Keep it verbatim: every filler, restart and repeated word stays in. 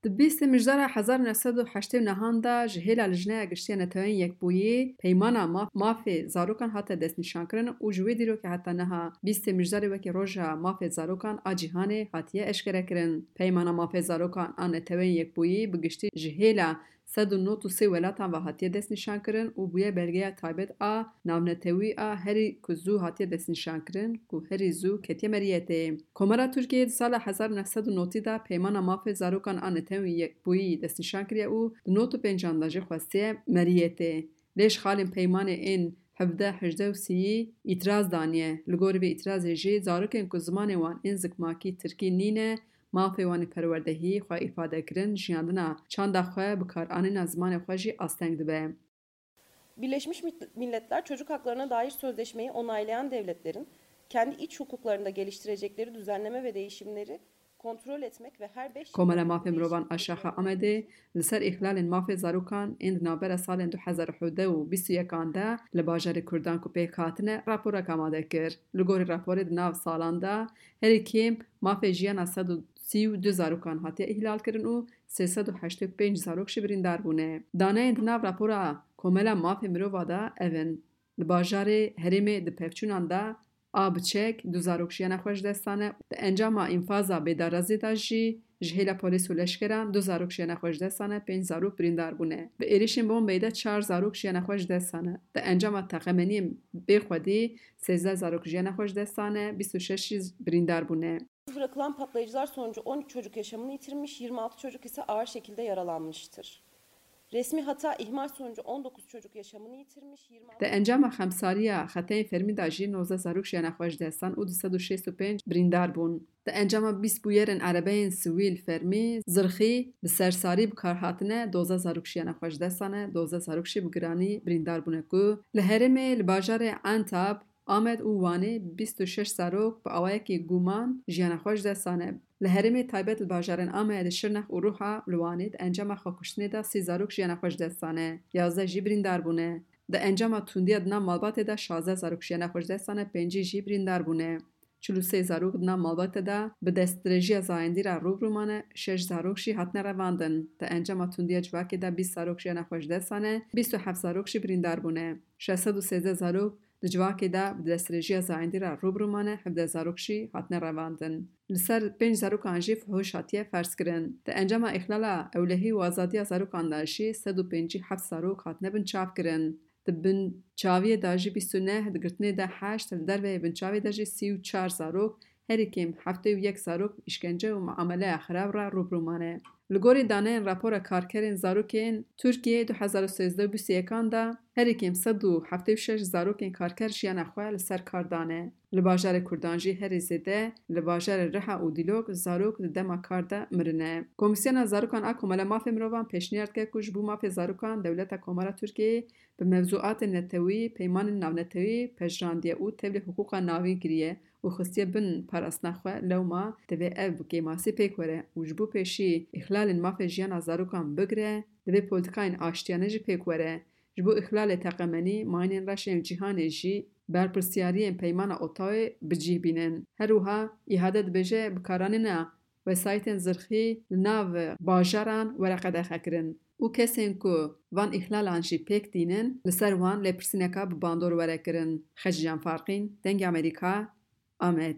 Di bîstê Mijdara hezar neh sed û heştê û nehan de ji hêla Lijneya Giştî ya Neteweyên Yekbûyî Peymana Maf-, Mafê Zarokan hate destnîşankirin û ji wê dîrokê heta niha bîstê Mijdarê wekî Roja Mafê Zarokan a Cîhanê hatiye eşkerekirin. Peymana Mafê Zarokan a Neteweyên Yekbûyî bi giştî ji hêla sed û nod û sê welatan ve hatiye destnîşankirin û bûye belgeya taybet a navnetewî a herî ku zû hatiye destnîşankirin, ku herî zû ketiye meriyetê. Komara Tirkiyeyê di sala hezar neh sed û notî de Peymana Mafê Zarokan a Netewên Yekbûyî destnîşan kiriye û di nod û pêncan de jî xwestiye meriyetê. Lê ji xalên peymanê ên hevdeh, hejdeh û sîyî îtiraz daniye. Li gorî vê îtirazê jî zarokên ku zimanê wan ên zikmakî tirkî nîne, mafê wan ê perwerdehî, xwe îfade kirin, jiyandina çanda xwe, bikaranîna zimanê xwe jî asteng dibe. Birleşmiş Milletler Çocuk Haklarına Dair Sözleşmeyi onaylayan devletlerin kendi iç hukuklarında geliştirecekleri düzenleme ve değişimleri kontrol etmek ve her beş yıl Komela Mafê Mirovan a Şaxa Amedê li ser îxlalên mafê zarokan ên di navbera salên du hezar û hevdeh û bîst û yekan de li bajarê Kurdan ku pêk hatine raporek amade kir. Li gorî raporê di nav salan de herî kêm mafê jiyana sed û sî û du zarokan hatiye îhlalkirin û sê sed û heştê û pênc zarok jî birîndar bûne. Daneyên di nav rapora Komela Mafê Mirova de ev in: Li bajarê herêmê di pevçûnan de a biçek du zarok jiyana xwe ji dest dane. Di encama înfaza bêdarazê de jî ji hêla polîs û leşkeran du zarok jiyana xwe ji dest dane, pênc zarok birîndar bûne. Bi êrişên bombeyê de çar zarok jiyana xwe ji dest dane. Di encama teqemeniyên bêxwedî sêzdeh zarok jiyana xwe ji dest dane, bîst û şeş jî birîndar bûne. Bırakılan patlayıcılar sonucu on üç çocuk yaşamını yitirmiş, yirmi altı çocuk ise ağır şekilde yaralanmıştır. Resmi hata ihmal sonucu on dokuz çocuk yaşamını yitirmiş, yirmi altı... Di encama xemsariya xeteyên fermî de jî nozdeh zarok jiyana xwe ji dest dan û du sed û şêst û pênc birîndar bûn. Di encama bîst bûyerên erebeyên sivîl fermî zirxî bi sersarî bi kar hatine, dozdeh zarok jiyana xwe ji dest dane, dozdeh zarok jî bi giranî birîndar bûne ku li herêmê li bajarê Entab, Amed û Wanê bîst û şeş zarok bi awayekî guman jiyana xwe ji dest dane. Li herêmê taybet li bajarên Amedê, Şirnex û Rûha li Wanê di encama xwekuştinê de sî zarok jiyana xwe ji dest dane, yazdeh jî birîndar bûne. Di encama tundiya di nav malbatê de şazdeh zarok jiyana xwe ji dest dane, pêncî jî birîndar bûne. Çil û sê zarok di nav malbatê de bi destdirêjiya zayendî re rû bi rû mane, şeş zarok jî hatine revandin. Di encama tundiya civakê de bîst zarok jiyana xwe ji dest dane, bîst û heft zarok jî birîndar bûne. Şeş sed û sêzdeh zarok di civakê de bi destdirêjiya zayendî re rû bi rû mane, hevdeh zarok jî hatine revandin. Li ser pênc zarokan jî fuhuş hatiye ferzkirin. Di encama îxlala ewlehî û azadiya zarokan de jî sed û pêncî heft zarok hatine binçavkirin. Di binçaviyê de jî bîst û neh, di girtinê de heşt, li derveyê binçavê de jî sî û çar zarok, herî kêm heftê û yek zarok îşkence û muameleya xirab re rû bi rû mane. Li gorî daneyên rapora karkerên zarokên Tirkiyeyê du hezar û sêzdeh û bîst û yekan de, herî kêm sed û heftê û şeş zarokên karker jiyana xwe li ser kar dane. Li bajarê Kurdan jî herî zêde li bajarê Riha û Dîlok zarok di dema kar de mirine. Komîsyona Zarokan a Komela Mafê Mirovan pêşniyar dike ku ji bo mafê zarokan Dewleta Komara Tirkiyeyê bi mewzuatên netewî, peymanên navnetewî pejrandiye û tevlî hiqûqa navîn kiriye û xistiye bin parastina xwe, lewma divê ev bi kêmasî pêk were û ji bo pêşî îxlalên mafê jiyana zarokan bigire, divê polîtîkayên aştiyane jî pêk were. Ji bo îxlalê teqemenî, mayînên reş ên cîhanê jî berpirsiyariyên Peymana Ottawê bi cih bînin. Her wiha, îhade dibêje, bikaranîna wesayîtên zirxî li nav bajaran were qedexekirin û kesên ku van îxlalan jî pêk tînin, li ser wan lêpirsîneka bi bandor were kirin. Xecîcan Farqîn, Dengê Amerîka, Amed.